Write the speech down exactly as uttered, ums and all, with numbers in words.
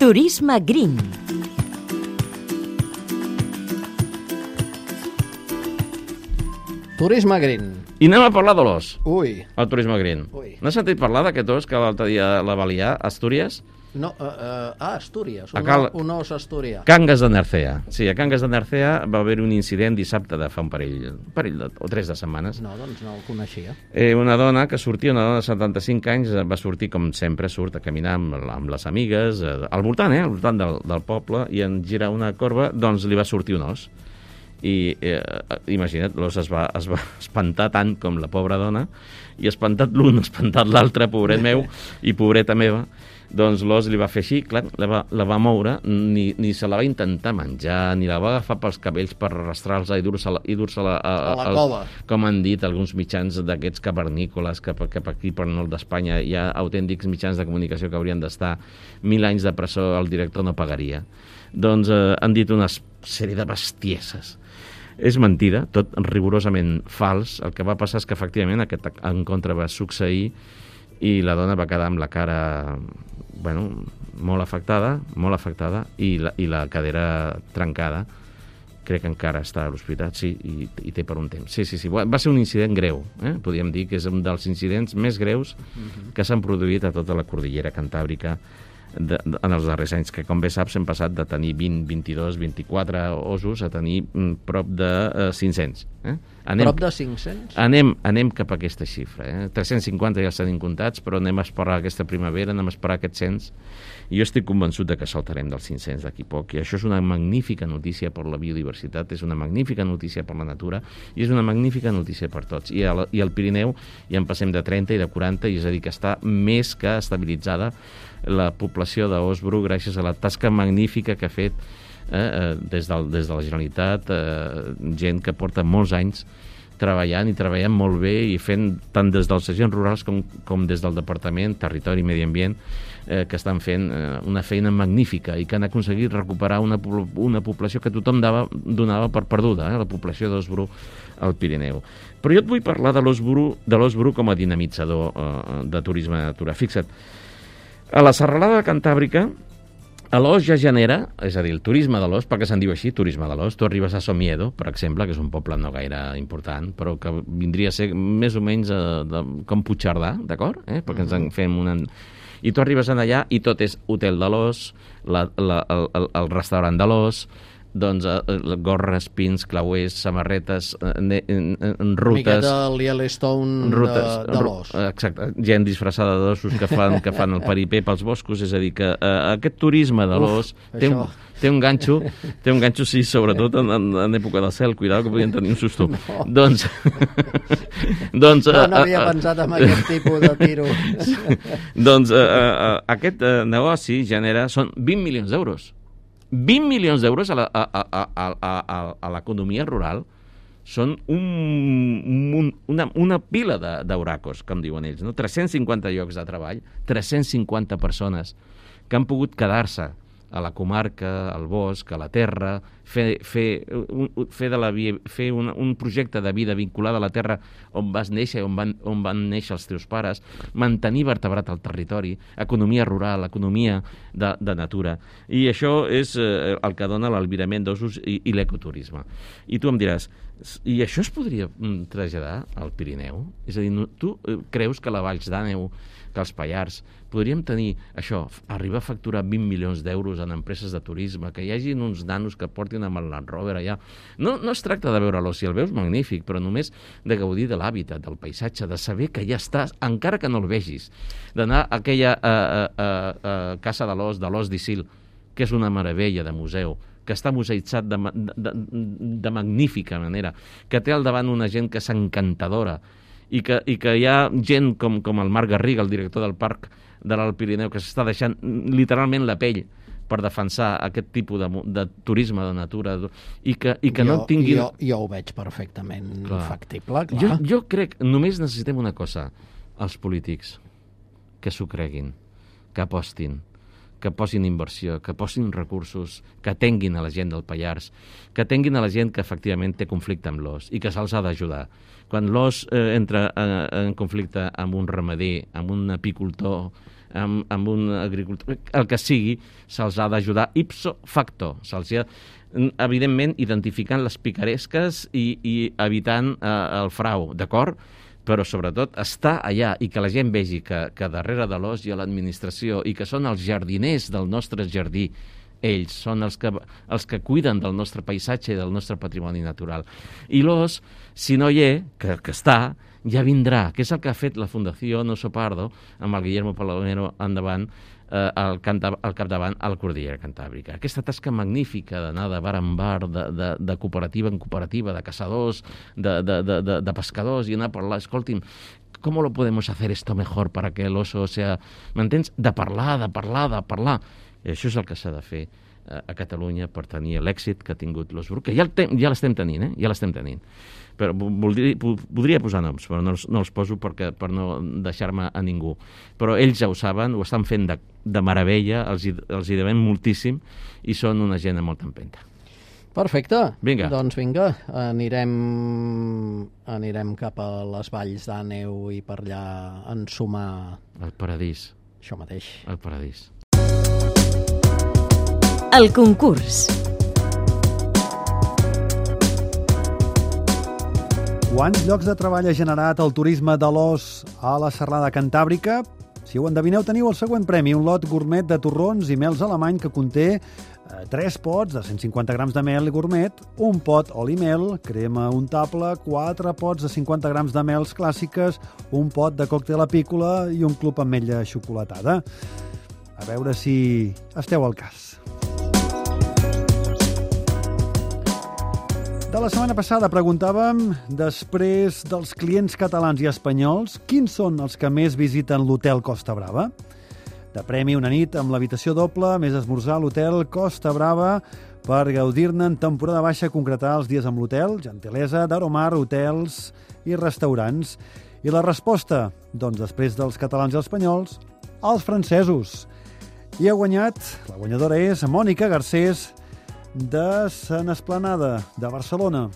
Turisme Green. Turisme Green. I anem a parlar de l'os. Ui. El Turisme Green. Ui. N'has sentit parlar d'aquest os que l'altre dia la va liar a Astúries? No, uh, uh, ah, Astúries, un, A Cal- un os asturià. Cangas de Narcea. Sí, a Cangas de Narcea va haver un incident dissabte de fa un parell, un parell de, o tres de setmanes. No, doncs no el coneixia. Eh, una dona que sortia, una dona de setanta-cinc anys, eh, va sortir com sempre, surt a caminar amb, amb les amigues, eh, al voltant, eh, al voltant del, del poble, i en girar una corba, doncs li va sortir un os. I eh, imagina't, l'os es va, es va espantar tant com la pobra dona, i espantat l'un, espantat l'altre, pobret meu i pobreta meva, doncs l'os li va fer així, clar, la va, la va moure, ni, ni se la va intentar menjar, ni la va agafar pels cabells per arrastrar-la i dur-se-la i dur-se-la a, A la al- cova. com han dit alguns mitjans d'aquests cavernícoles que, que per aquí per nord d'Espanya hi ha autèntics mitjans de comunicació que haurien d'estar mil anys de presó, el director no pagaria. Doncs eh, han dit una sèrie de bestieses. És mentida, tot rigorosament fals. El que va passar és que efectivament aquest encontre va succeir i la dona va quedar amb la cara, bueno, molt afectada, molt afectada, i la, i la cadera trencada. Crec que encara està a l'hospital, sí, i, i té per un temps. Sí, sí, sí, va ser un incident greu, eh? Podríem dir que és un dels incidents més greus que s'han produït a tota la cordillera cantàbrica de, de, en els darrers anys, que com bé saps hem passat de tenir vint, vint-i-dos, vint-i-quatre osos a tenir mm, prop de eh, cinc-cents. Eh? Anem, Prop de cinc-cents? anem, anem cap a aquesta xifra. Eh? tres-cents cinquanta ja els tenim comptats, però anem a esperar aquesta primavera, anem a esperar aquests cents, i jo estic convençut de que saltarem dels cinc-cents d'aquí poc, i això és una magnífica notícia per la biodiversitat, és una magnífica notícia per la natura, i és una magnífica notícia per tots. I al, i al Pirineu ja en passem de trenta i de quaranta, i és a dir, que està més que estabilitzada la població d'os bru gràcies a la tasca magnífica que ha fet eh, eh, des, del, des de la Generalitat, eh, gent que porta molts anys treballant i treballant molt bé i fent tant des dels agents rurals com, com des del Departament Territori i Medi Ambient, eh, que estan fent eh, una feina magnífica i que han aconseguit recuperar una, una població que tothom dava, donava per perduda, eh, la població d'os bru al Pirineu. Però jo et vull parlar de l'os bru, de l'os bru com a dinamitzador eh, de turisme de natura. Fixa't, a la serralada cantàbrica l'os ja genera, és a dir, el turisme de l'os, perquè se'n diu així, turisme de l'os. Tu arribes a Somiedo, per exemple, que és un poble no gaire important, però que vindria a ser més o menys eh, de, com Puigcerdà, d'acord? Eh? Perquè ens en fem una... I tu arribes en allà i tot és hotel de l'os, la, la, el, el, el restaurant de l'os, doncs eh, gorres, pins, clauers, samarretes, eh, en, en rutes... Miqueta el Yellowstone rutes, de, de l'os. Exacte, gent disfressada d'ossos que fan, que fan el peripé pels boscos, és a dir, que eh, aquest turisme de l'os té, un, té un ganxo, té un ganxo, sí, sobretot en, en, en època del cel, cuidado que podien tenir un susto. No. Doncs... doncs no, no eh, havia eh, pensat en aquest tipus de tiro. doncs eh, eh, aquest eh, negoci genera, són vint milions d'euros. vint milions d'euros a, la, a, a, a, a, a l'economia rural són un, un, una, una pila d'oracos, com diuen ells, no? tres-cents cinquanta llocs de treball, tres-cents cinquanta persones que han pogut quedar-se a la comarca, al bosc, a la terra, fer, fer, un, fer, de la, fer un, un projecte de vida vinculat a la terra on vas néixer, on van, on van néixer els teus pares, mantenir vertebrat el territori, economia rural, economia de, de natura. I això és eh, el que dona l'albirament d'ossos i, i l'ecoturisme. I tu em diràs, i això es podria mm, traslladar al Pirineu? És a dir, no, tu eh, creus que la Valls d'Àneu, que els Pallars, podríem tenir això, arribar a facturar vint milions d'euros en empreses de turisme, que hi hagi uns nanos que portin amb el Land Rover allà. No, no es tracta de veure l'os, si el veus magnífic, però només de gaudir de l'hàbitat, del paisatge, de saber que ja estàs, encara que no el vegis, d'anar a aquella uh, uh, uh, casa de l'os, de l'os d'Isil, que és una meravella de museu, que està museïtzat de, de, de, de magnífica manera, que té al davant una gent que és encantadora, i que, i que hi ha gent com, com el Marc Garriga, el director del Parc de l'Alt Pirineu, que s'està deixant literalment la pell per defensar aquest tipus de, de turisme de natura i que, i que jo, no tinguin... Jo, jo ho veig perfectament clar. Factible, clar. Jo, jo crec, només necessitem una cosa, els polítics, que s'ho creguin, que apostin, que posin inversió, que posin recursos, que atenguin a la gent del Pallars, que atenguin a la gent que efectivament té conflicte amb l'os i que se'ls ha d'ajudar. Quan l'os eh, entra en, en conflicte amb un ramader, amb un apicultor, amb, amb un agricultor, el que sigui, se'ls ha d'ajudar ipso facto. Se'ls ha, evidentment, identificant les picaresques i, i evitant eh, el frau, d'acord? Però sobretot estar allà i que la gent vegi que, que darrere de l'os hi ha l'administració i que són els jardiners del nostre jardí. Ells són els que, els que cuiden del nostre paisatge i del nostre patrimoni natural. I l'os, si no hi és, que, que està, ja vindrà, que és el que ha fet la Fundació Oso Pardo amb el Guillermo Palomero endavant, eh, al, al capdavant a la Cordillera Cantàbrica. Aquesta tasca magnífica d'anar de bar en bar, de, de, de cooperativa en cooperativa, de caçadors, de, de, de, de, de pescadors, i anar a parlar, escolti'm, ¿cómo lo podemos hacer esto mejor para que el oso sea... M'entens? De parlar, de parlar, de parlar. I això és el que s'ha de fer eh, a Catalunya per tenir l'èxit que ha tingut l'Os Bru, que ja l'estem tenint, eh? Ja l'estem tenint. Però voldria, podria posar noms, però no els, no els poso perquè, per no deixar-me a ningú. Però ells ja ho saben, ho estan fent de, de meravella, els hi, els hi devem moltíssim i són una gent amb molta empenta. Perfecte. Vinga. Doncs vinga, anirem, anirem cap a les valls d'Àneu i per allà ensumar... El paradís. Això mateix. El paradís. El concurs. Quants llocs de treball ha generat el turisme de l'os a la Serralada Cantàbrica? Si ho endevineu, teniu el següent premi, un lot gourmet de torrons i mels alemany que conté eh, tres pots de cent cinquanta grams de mel gourmet, un pot oli mel, crema untable, quatre pots de cinquanta grams de mels clàssiques, un pot de còctel apícola i un club ametlla xocolatada. A veure si esteu al cas. De la setmana passada preguntàvem, després dels clients catalans i espanyols, quins són els que més visiten l'hotel Costa Brava? De premi una nit amb l'habitació doble, més esmorzar a l'hotel Costa Brava per gaudir-ne en temporada baixa, concretar els dies amb l'hotel, gentilesa d'Aromar, hotels i restaurants. I la resposta? Doncs després dels catalans i els espanyols, els francesos. I ha guanyat, la guanyadora és Mònica Garcés, de Sant Esplanada, de Barcelona.